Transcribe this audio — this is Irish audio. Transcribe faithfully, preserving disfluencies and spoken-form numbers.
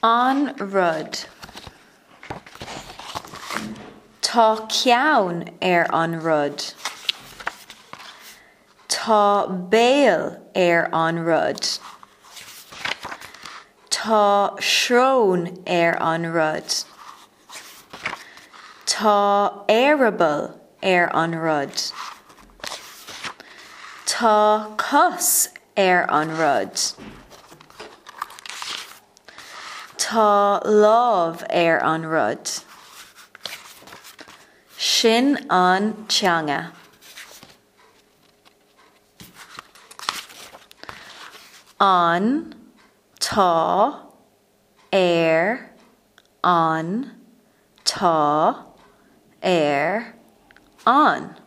An rud. Tá ceann ar an rud. Tá béal ar an rud. Tá srón ar an rud. Tá eireaball ar an rud. Tá cos ar an rud. Tá lámh ar an rud. Sin an teanga. An tá ar an tá ar an.